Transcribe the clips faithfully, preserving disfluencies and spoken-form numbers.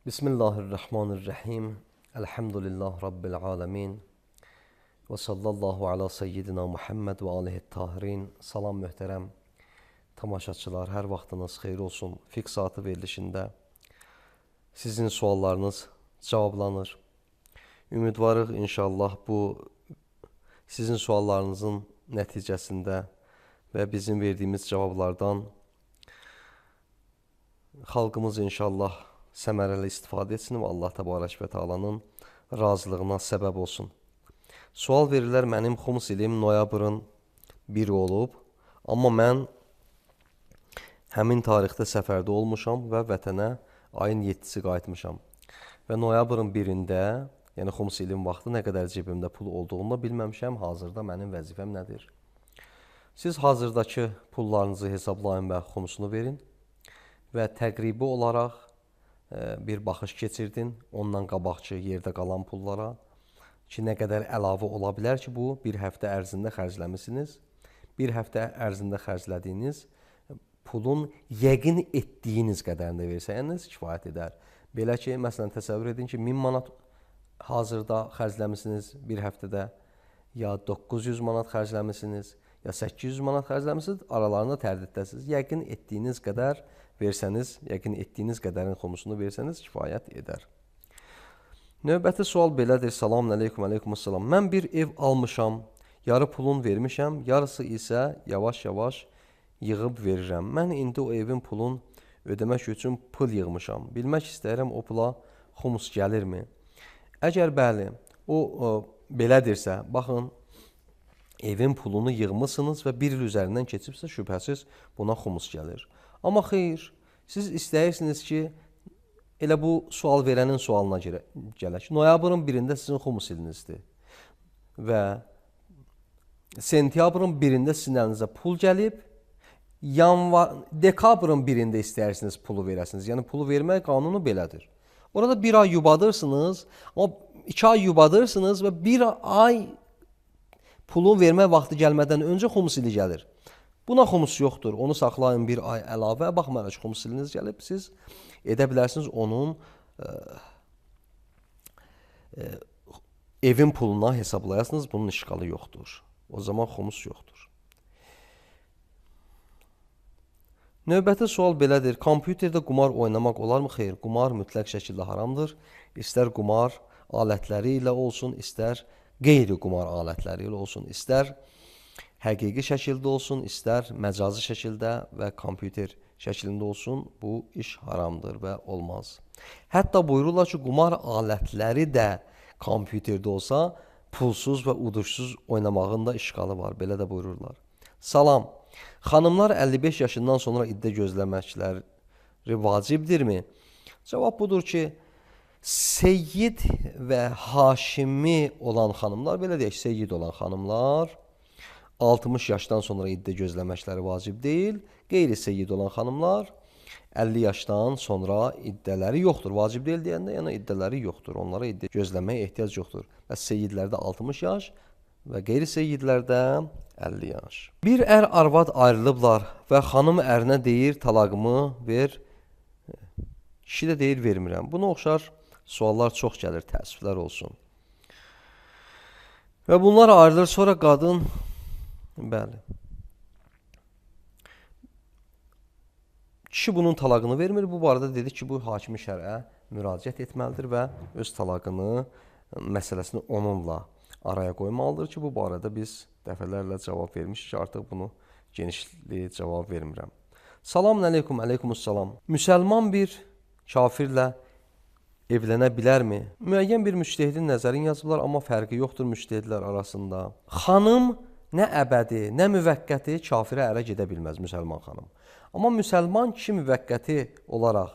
Bismillahirrahmanirrahim. Elhamdülillah Rabbil alemin. Və sallallahu ala seyyidina Muhammed və alihi tahirin. Salam möhtərəm tamaşaçılar, hər vaxtınız xeyir olsun. Fiqh saatı verilişində sizin suallarınız cavablanır. Ümidvarıq inşallah bu sizin suallarınızın nəticəsində və bizim verdiyimiz cavablardan xalqımız inşallah səmərəli istifadə etsin və Allah təbarək və təalanın razılığına səbəb olsun. Sual verirlər, mənim xums ilim noyabrın biri olub, amma mən həmin tarixdə səfərdə olmuşam və vətənə ayın yeddisi qayıtmışam. Və noyabrın birində, yəni xums ilim vaxtı nə qədər cibimdə pul olduğunu bilməmişəm, hazırda mənim vəzifəm nədir? Siz hazırdakı pullarınızı hesablayın və xumsunu verin və təqribi olaraq bir baxış keçirdin, ondan qabaqçı yerdə qalan pullara ki, nə qədər əlavə ola bilər ki, bu bir həftə ərzində xərcləmisiniz. Bir həftə ərzində xərclədiyiniz pulun yəqin etdiyiniz qədərini versəniz kifayət edər. Belə ki, məsələn, təsəvvür edin ki, min manat hazırda xərcləmisiniz bir həftədə, ya doqquz yüz manat xərcləmisiniz, ya səkkiz yüz manat xərcləmisiniz, aralarında tərdiddəsiniz. Yəqin etdiyiniz qədər versəniz, yəqin etdiyiniz qədərin xumusunu versəniz kifayət edər. Növbəti sual belədir. Selamun aleyküm, aleykümselam. Mən bir ev almışam, yarı pulun vermişəm, yarısı isə yavaş-yavaş yığıb verirəm. Mən indi o evin pulun ödəmək üçün pul yığmışam. Bilmək istəyirəm, o pula xumus gəlirmi? Əgər bəli, o, o belədirsə, baxın, evin pulunu yığmışsınız və bir il üzərindən keçibsə, şübhəsiz buna xumus gəlir. Amma xeyr, siz istəyirsiniz ki, elə bu sual verənin sualına gələk. Noyabrın birində sizin xumus ilinizdir və sentyabrın birində sizin əlinizə pul gəlib, yanvar, dekabrın birində istəyirsiniz pulu verəsiniz. Yəni, pulu vermək qanunu belədir. Orada bir ay yubadırsınız, amma iki ay yubadırsınız və bir ay pulun vermə vaxtı gəlmədən öncə xumus ili gəlir. Buna xumus yoxdur. Onu saxlayın bir ay əlavə. Baxmayaraq ki, xumus iliniz gəlib, siz edə bilərsiniz onun e, e, evin puluna hesablayasınız. Bunun işğalı yoxdur. O zaman xumus yoxdur. Növbəti sual belədir. Kompüterdə qumar oynamaq olarmı? Xeyr, qumar mütləq şəkildə haramdır. İstər qumar alətləri ilə olsun, istər qeyri-qumar alətləri ilə olsun, istər həqiqi şəkildə olsun, istər məcazi şəkildə və kompüter şəklində olsun, bu iş haramdır və olmaz. Hətta buyururlar ki, qumar alətləri də kompüterdə olsa, pulsuz və uduşsuz oynamağın da işğalı var. Belə də buyururlar. Salam, xanımlar əlli beş yaşından sonra iddə gözləməkləri vacibdirmi? Cavab budur ki, seyyid və haşimi olan xanımlar, belə deyək, seyyid olan xanımlar, altmış yaşdan sonra iddə gözləməkləri vacib deyil. Qeyri-seyyid olan xanımlar əlli yaşdan sonra iddələri yoxdur. Vacib deyil deyəndə, yəni iddələri yoxdur. Onlara iddə gözləməyə ehtiyac yoxdur. Və seyyidlərdə altmış yaş və qeyri-seyyidlərdə əlli yaş. Bir ər arvad ayrılıblar və xanım ərinə deyir, talaqımı ver. Kişi də deyir, vermirəm. Buna oxşar suallar çox gəlir, təəssüflər olsun. Və bunlar ayrılır, sonra qadın bəli. Kişi bunun talaqını vermir. Bu barədə dedi ki, bu hakimi şərə müraciət etməlidir və öz talaqını, məsələsini onunla araya qoymalıdır ki, bu barədə biz dəfələrlə cavab vermişik ki, artıq bunu genişli cavab vermirəm. Selamun aleyküm, aleykümselam. Müsəlman bir kafirlə evlənə bilərmi? Müəyyən bir müctəhidin nəzərini yazıblar, amma fərqi yoxdur müctəhidlər arasında. Xanım nə əbədi, nə müvəqqəti kafirə ərə gedə bilməz müsəlman xanım. Amma müsəlman kişi müvəqqəti olaraq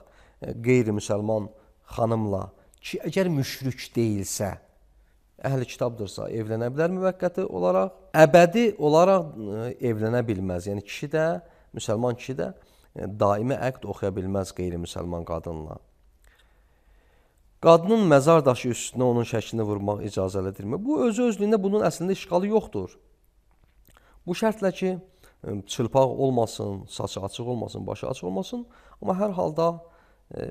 qeyri-müsəlman xanımla ki, əgər müşrik deyilsə, əhl-i kitabdırsa, evlənə bilər müvəqqəti olaraq. Əbədi olaraq evlənə bilməz. Yəni, kişi də, müsəlman kişi də daimi əqd oxuya bilməz qeyri-müsəlman qadınla. Qadının məzar daşı üstünə onun şəklini vurmaq icazəlidirmi? Bu, özü-özlüyündə bunun əslində işğalı yoxdur. Bu şərtlə ki, çılpaq olmasın, saçı açıq olmasın, başı açıq olmasın. Amma hər halda e,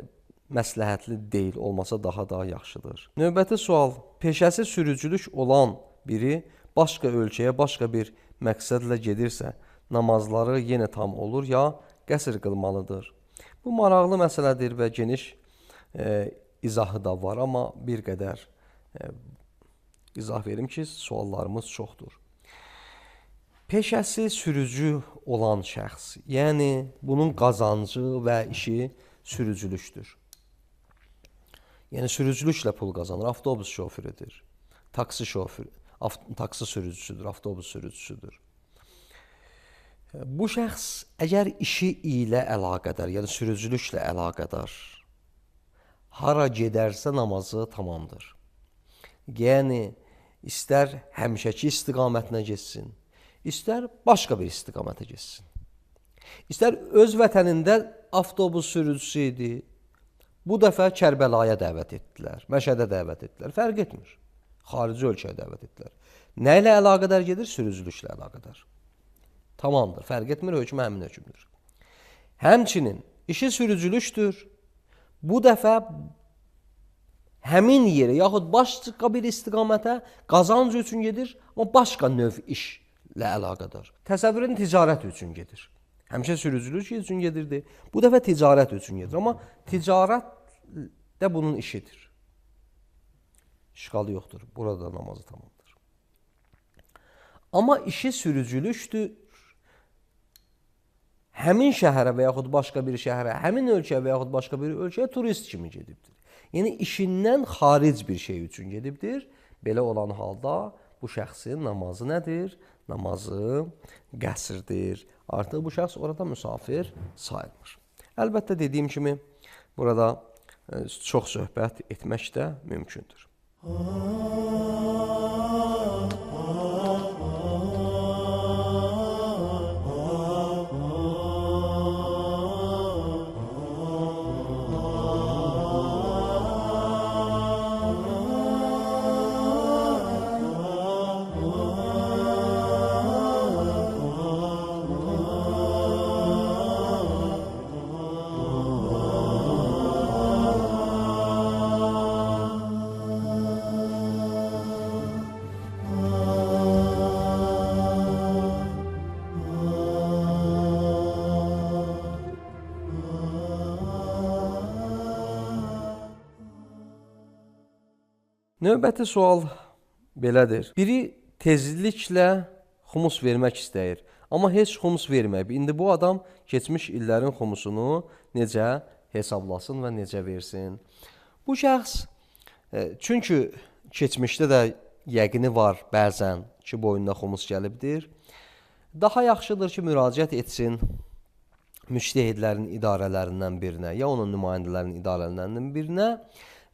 məsləhətli deyil, olmasa daha da yaxşıdır. Növbəti sual. Peşəsi sürücülük olan biri başqa ölkəyə, başqa bir məqsədlə gedirsə, namazları yenə tam olur ya qəsr qılmalıdır? Bu maraqlı məsələdir və geniş e, izahı da var, amma bir qədər e, izah verim ki, suallarımız çoxdur. Peşəsi sürücü olan şəxs, yəni bunun qazancı və işi sürücülükdür. Yəni sürücülüklə pul qazanır, avtobus şoförüdür, taksi şoförü, taksi sürücüsüdür, avtobus sürücüsüdür. Bu şəxs əgər işi ilə əlaqədar, yəni sürücülüklə əlaqədar hara gedərsə namazı tamamdır. Yəni istər həmişəki istiqamətinə getsin, istər başqa bir istiqamətə getsin. İstər öz vətənində avtobus sürücüsü idi, bu dəfə Kərbəlaya dəvət etdilər, Məşədə dəvət etdilər, fərq etmir. Xarici ölkəyə dəvət etdilər. Nə ilə əlaqədar gedir? Sürücülüklə əlaqədar. Tamamdır, fərq etmir, hökm həmin hökmdür. Həmçinin işi sürücülükdür. Bu dəfə həmin yerə, yaxud başqa bir istiqamətə qazanc üçün gedir, amma başqa növ işlə əlaqədar. Təsəvvürün ticarət üçün gedir. Həmişə sürücülük üçün gedirdi. Bu dəfə ticarət üçün gedir. Amma ticarət də bunun işidir. İşğalı yoxdur. Burada namazı tamamdır. Amma işi sürücülükdür. Həmin şəhərə və yaxud başqa bir şəhərə, həmin ölkəyə və yaxud başqa bir ölkəyə turist kimi gedibdir. Yəni işindən xaric bir şey üçün gedibdir. Belə olan halda bu şəxsin namazı nədir? Namazı qəsrdir. Artıq bu şəxs orada müsafir sayılmır. Əlbəttə dediyim kimi burada çox söhbət etmək də mümkündür. Növbəti sual belədir. Biri tezliklə xumus vermək istəyir, amma heç xumus verməyib. İndi bu adam keçmiş illərin xumusunu necə hesablasın və necə versin? Bu şəxs, çünki keçmişdə də yəqini var bəzən ki, boynuna xumus gəlibdir. Daha yaxşıdır ki, müraciət etsin müctəhidlərin idarələrindən birinə, ya onun nümayəndələrinin idarələrindən birinə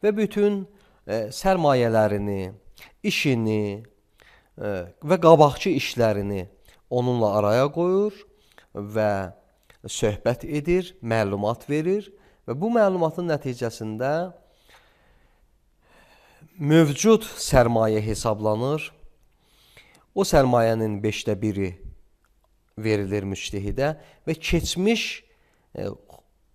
və bütün E, sərmayələrini, işini e, və qabaqçı işlərini onunla araya qoyur və söhbət edir, məlumat verir və bu məlumatın nəticəsində mövcud sərmayə hesablanır. O sərmayənin beşdə biri verilir müctehidə və keçmiş e,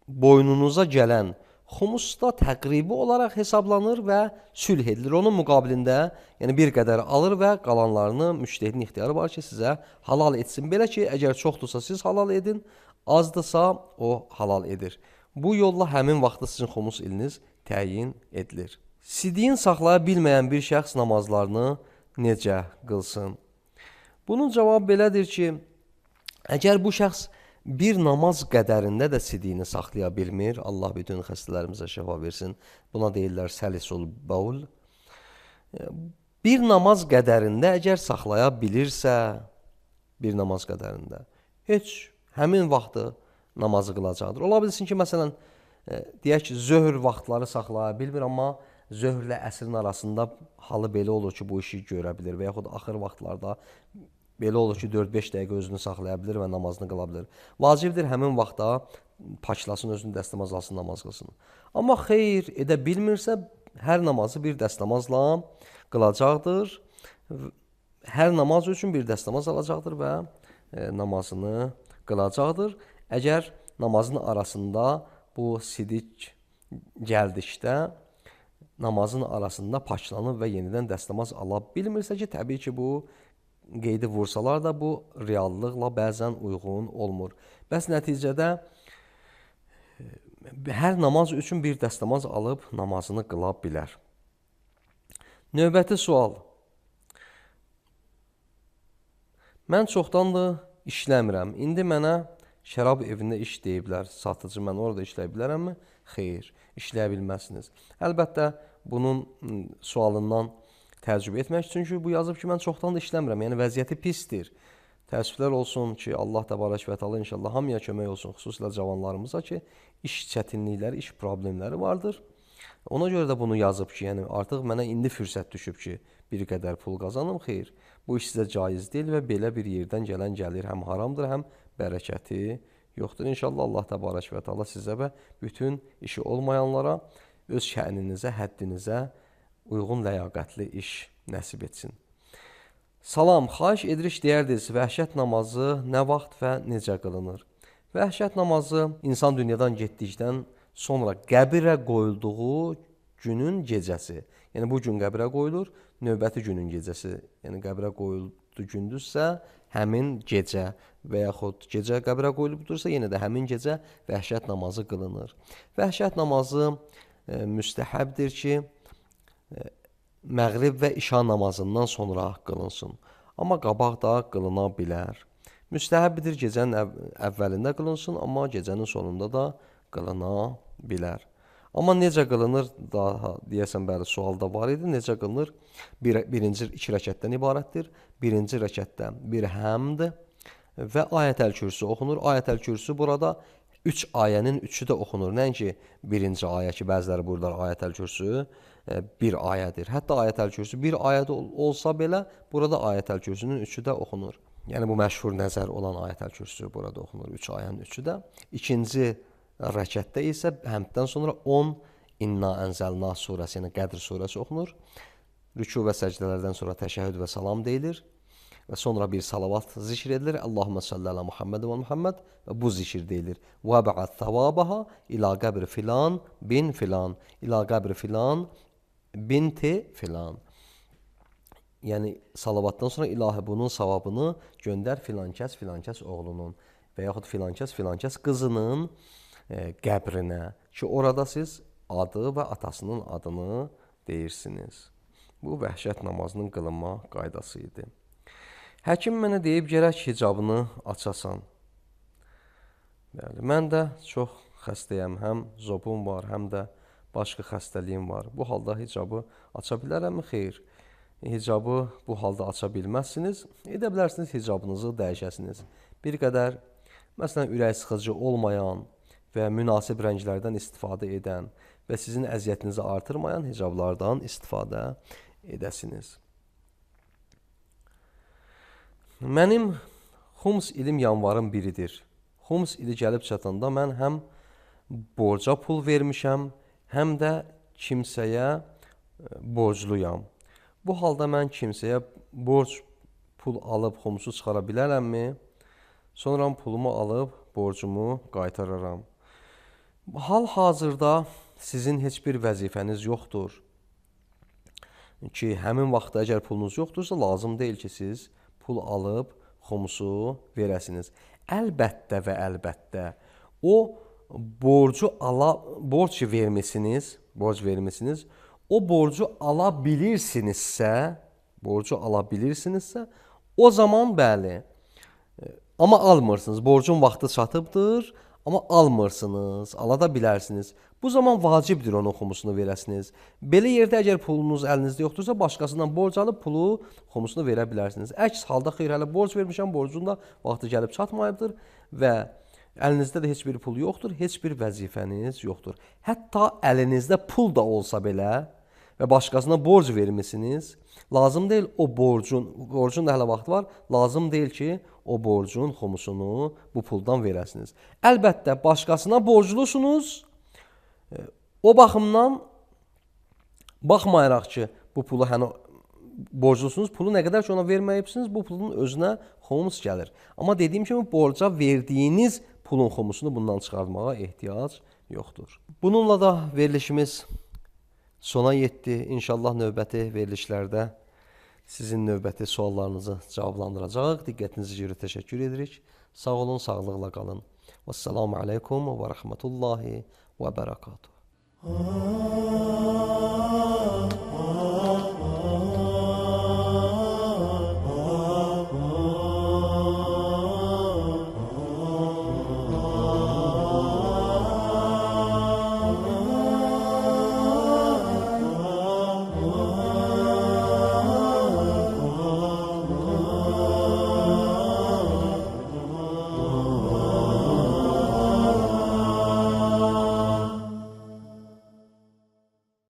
boynunuza gələn xumus da təqribi olaraq hesablanır və sülh edilir. Onun müqabilində yəni bir qədər alır və qalanlarını müctehidin ixtiyarı var ki, sizə halal etsin. Belə ki, əgər çoxdursa siz halal edin, azdırsa o halal edir. Bu yolla həmin vaxtda sizin xumus iliniz təyin edilir. Sidiyin saxlaya bilməyən bir şəxs namazlarını necə qılsın? Bunun cavabı belədir ki, əgər bu şəxs bir namaz qədərində də sidiyini saxlaya bilmir, Allah bütün xəstələrimizə şəfa versin, buna deyirlər səlisul baul. Bir namaz qədərində əgər saxlaya bilirsə, bir namaz qədərində, heç həmin vaxtı namazı qılacaqdır. Ola bilsin ki, məsələn, deyək ki, zöhr vaxtları saxlaya bilmir, amma zöhrlə əsrin arasında halı belə olur ki, bu işi görə bilir və yaxud axır vaxtlarda belə olur ki, dörd-beş dəqiqə özünü saxlaya bilir və namazını qıla bilir. Vacibdir həmin vaxtda paçlasın, özünü dəstəmaz alsın, namaz qılsın. Amma xeyr edə bilmirsə, hər namazı bir dəstəmazla qılacaqdır. Hər namaz üçün bir dəstəmaz alacaqdır və e, namazını qılacaqdır. Əgər namazın arasında bu sidik gəldikdə namazın arasında paçlanıb və yenidən dəstəmaz ala bilmirsə ki, təbii ki, bu qeydi vursalar da bu reallıqla bəzən uyğun olmur. Bəs nəticədə hər namaz üçün bir dəstəmaz alıb namazını qıla bilər. Növbəti sual. Mən çoxdandır işləmirəm. İndi mənə şərab evində iş deyiblər. Satıcı, mən orada işləyə bilərəmmi? Xeyr, işləyə bilməzsiniz. Əlbəttə, bunun sualından təəccüb etmək, çünki bu yazıb ki, mən çoxdandır işləmirəm. Yəni, vəziyyəti pisdir. Təəssüflər olsun ki, Allah təbarək və təala inşallah hamıya kömək olsun, xüsusilə cavanlarımıza ki, iş çətinlikləri, iş problemləri vardır. Ona görə də bunu yazıb ki, yəni artıq mənə indi fürsət düşüb ki, bir qədər pul qazanım. Xeyr, bu iş sizə caiz deyil və belə bir yerdən gələn gəlir həm haramdır, həm bərəkəti yoxdur. İnşallah Allah təbarək və təala sizə və bütün işi olmayanlara öz şəninizə, həddinizə uyğun ləyaqətli iş nəsib etsin. Salam, xahiş edirik deyərdiniz, vəhşət namazı nə vaxt və necə qılınır? Vəhşət namazı insan dünyadan getdikdən sonra qəbirə qoyulduğu günün gecəsi. Yəni, bu gün qəbirə qoyulur, növbəti günün gecəsi. Yəni, qəbirə qoyulduğu gündüzsə, həmin gecə və yaxud gecə qəbirə qoyulubdursa, yenə də həmin gecə vəhşət namazı qılınır. Vəhşət namazı e, müstəhəbdir ki, e, məğrib və işa namazından sonra qılınsın. Amma qabaq da qılına bilər. Müstəhəbdir gecənin əv əvvəlində qılınsın, amma gecənin sonunda da qılına bilər. Amma necə qılınır, daha deyəsən bəli sualda var idi, necə qılınır? Bir, birinci iki rəkətdən ibarətdir. Birinci rəkətdə bir həmd və ayət-əl-kürsü oxunur. Ayət-əl-kürsü burada üç ayənin üçü də oxunur. Nəinki birinci ayə ki, bəziləri burada ayət-əl-kürsü bir ayədir. Hətta ayət-əl-kürsü bir ayədə olsa belə, burada ayət-əl-kürsünün üçü də oxunur. Yəni, bu məşhur nəzər olan ayət-əl-kürsü burada oxunur. Üç ayənin üçü də. İkinci rəkətdə isə həmddən sonra on İnna Ənzəlna surəsi, yəni Qədr surəsi oxunur. Rükû və səcdələrdən sonra təşəhhüd və salam deyilir. Və sonra bir salavat zikr edilir. Allahümmə salli alə Muhammed və Muhammed və bu zikr deyilir. Və bə'ət thavabaha ila qəbri filan bin filan. İla qəbri filan binti filan. Yəni, salavatdan sonra ilahi bunun savabını göndər filankəs filankəs oğlunun və yaxud filankəs filankəs qızının e, qəbrinə ki, orada siz adı və atasının adını deyirsiniz. Bu, vəhşət namazının qılınma qaydası idi. Həkim mənə deyib, gərək hicabını açasan. Bəli, mən də çox xəstəyəm, həm zobum var, həm də başqa xəstəliyim var. Bu halda hicabı aça bilərəmmi? Xeyr. Hicabı bu halda aça bilməzsiniz. Edə bilərsiniz, hicabınızı dəyişəsiniz. Bir qədər, məsələn, ürək sıxıcı olmayan və münasib rənglərdən istifadə edən və sizin əziyyətinizi artırmayan hicablardan istifadə edəsiniz. Mənim xums ilim yanvarın biridir. Xums ili gəlib çatanda mən həm borca pul vermişəm, həm də kimsəyə borcluyam. Bu halda mən kimsəyə borc pul alıb xumsu çıxara bilərəmmi? Sonra pulumu alıb borcumu qaytararam. Hal-hazırda sizin heç bir vəzifəniz yoxdur ki, həmin vaxtda əgər pulunuz yoxdursa, lazım deyil ki, siz pul alıb xumsu verəsiniz. Əlbəttə və əlbəttə o borcu ala, borc vermisiniz, borc vermisiniz, o borcu ala bilirsinizsə, borcu ala bilirsinizsə, o zaman bəli, amma almırsınız, borcun vaxtı çatıbdır, amma almırsınız, ala da bilərsiniz. Bu zaman vacibdir onun xumusunu verəsiniz. Belə yerdə əgər pulunuz əlinizdə yoxdursa, başqasından borc alıb pulu xumusunu verə bilərsiniz. Əks halda xeyr, hələ borc vermişəm, borcun da vaxtı gəlib çatmayıbdır və əlinizdə də heç bir pul yoxdur, heç bir vəzifəniz yoxdur. Hətta əlinizdə pul da olsa belə və başqasına borc vermisiniz, lazım deyil o borcun, borcun da hələ vaxtı var, lazım deyil ki, o borcun xumusunu bu puldan verəsiniz. Əlbəttə, başqasına borclusunuz, o baxımdan baxmayaraq ki, bu pulu həni borclusunuz, pulu nə qədər ki ona verməyibsiniz, bu pulun özünə xumus gəlir. Amma dediyim kimi borca verdiyiniz pulun xumusunu bundan çıxartmağa ehtiyac yoxdur. Bununla da verilişimiz sona yetdi. İnşallah növbəti verilişlərdə sizin növbəti suallarınızı cavablandıracaq. Diqqətinizi görə təşəkkür edirik. Sağ olun, sağlıqla qalın. Vəssalamu aleykum və rəhmətullahi və bərəkatuhu.